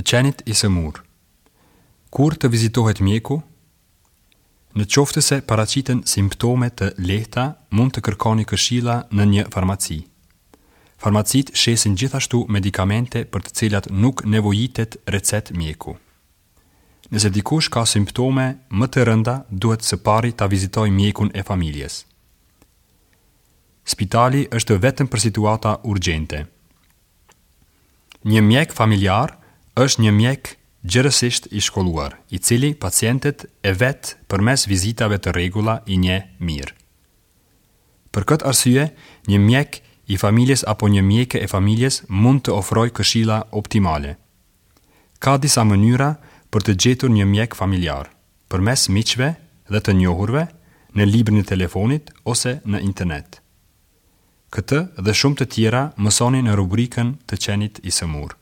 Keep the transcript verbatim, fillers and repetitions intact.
Të qenit i sëmurë. Kur të vizitohet mjeku? Në qoftë se paraqiten simptome të lehta, mund të kërkoni këshilla në një farmaci. Farmacitë shesin gjithashtu medikamente për të cilat nuk nevojitet recetë mjeku. Nëse dikush ka simptome më të rënda, duhet së pari ta vizitojë mjekun e familjes. Spitali është vetëm për situata urgjente. Një mjek familjar është një mjek gjerësisht i shkolluar, i cili pacientët e vet përmes vizitave të rregulla i njeh mirë. Për këtë arsye, një mjek i familjes apo një mjeke e familjes mund të ofrojë këshilla optimale. Ka disa mënyra për të gjetur një mjek familjar, përmes miqve dhe të njohurve, në librin e telefonit ose në internet. Këtë dhe shumë të tjera mësoni në rubrikën Të qenit i sëmurë.